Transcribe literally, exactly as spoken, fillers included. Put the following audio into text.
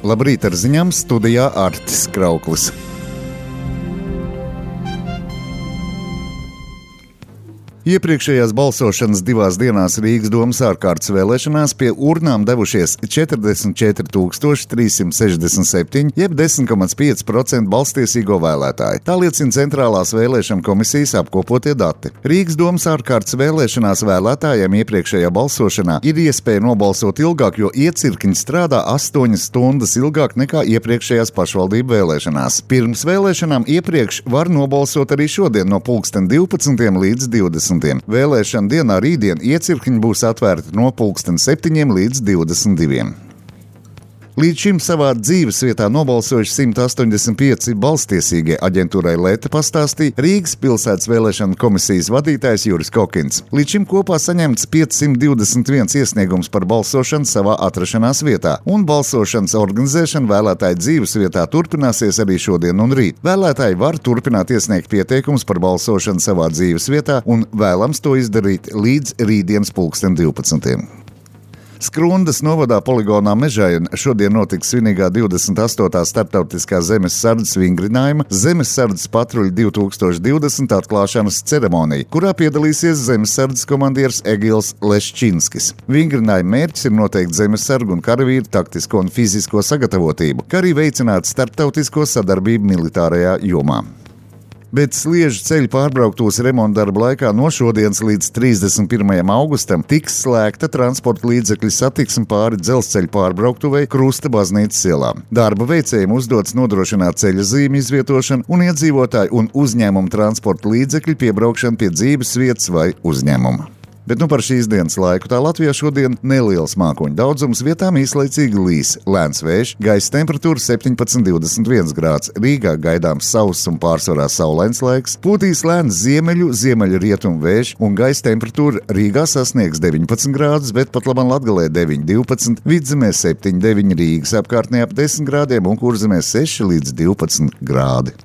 Labrīt ar ziņām, studijā Artis Krauklis. Iepriekšējās balsošanas divās dienās Rīgas domas ārkārtas vēlēšanās pie urnām devušies četrdesmit četri tūkstoši trīs simti sešdesmit septiņi, jeb desmit komats pieci procenti balstiesīgo vēlētāju. Tā liecina Centrālās vēlēšana komisijas apkopotie dati. Rīgas domas ārkārtas vēlēšanās vēlētājiem iepriekšējā balsošanā ir iespēja nobalsot ilgāk, jo iecirkņi strādā astoņas stundas ilgāk nekā iepriekšējās pašvaldību vēlēšanās. Pirms vēlēšanām iepriekš var nobalsot arī šodien no pulksten divpadsmitiem līdz divdesmitiem. Vēlēšana dienā rītdien iecirkņi būs atvērti no pulksten septiņiem līdz divdesmit diviem. Līdz šim savā dzīvesvietā nobalsojuši simt astoņdesmit pieci balstiesīgie, aģentūrai Leta pastāstīja Rīgas pilsētas vēlēšana komisijas vadītājs Juris Kokins. Līdz šim kopā saņemts piecsimt divdesmit viens iesniegums par balsošanu savā atrašanās vietā, un balsošanas organizēšana vēlētāju dzīvesvietā turpināsies arī šodien un rīt. Vēlētāji var turpināt iesniegt pieteikumus par balsošanu savā dzīvesvietā, un vēlams to izdarīt līdz rītdienas pulksten divpadsmitiem. Skrundas novadā poligonā Mežaina šodien notiks svinīgā divdesmit astotā starptautiskā zemes sardzes vingrinājuma Zemes sardzes patruļa divi tūkstoši divdesmit atklāšanas ceremonija, kurā piedalīsies zemes sardzes komandieris Egils Leščinskis. Vingrinājuma mērķis ir noteikt zemes sargu un karavīru taktisko un fizisko sagatavotību, kā arī veicināt starptautisko sadarbību militārajā jomā. Bet Sliežu ceļu pārbrauktos remonta darba laikā no šodienas līdz trīsdesmit pirmajam augustam tiks slēgta transporta līdzekļu satiksme pāri dzelzceļa pārbrauktuvei Krusta baznīcas ielā. Darba veicējiem uzdots nodrošināt ceļa zīmju izvietošanu un iedzīvotāju un uzņēmumu transporta līdzekļu piebraukšanu pie dzīves vietas vai uzņēmuma. Bet nu par šīs dienas laiku tā Latvijā šodien neliels mākoņu daudzums, vietām īslaicīgi līs, lēns vējš, gaisa temperatūra septiņpadsmit līdz divdesmit viens grāds, Rīgā gaidāms sauss un pārsvarā saulains laiks, pūtīs lēns ziemeļu, ziemeļu rietumu vējš un gaisa temperatūra Rīgā sasniegs deviņpadsmit grādus, bet pat labam Latgalē deviņi divpadsmit, Vidzemē septiņi deviņi, Rīgas apkārtnē ap desmit grādiem un Kurzemē seši līdz divpadsmit grādi.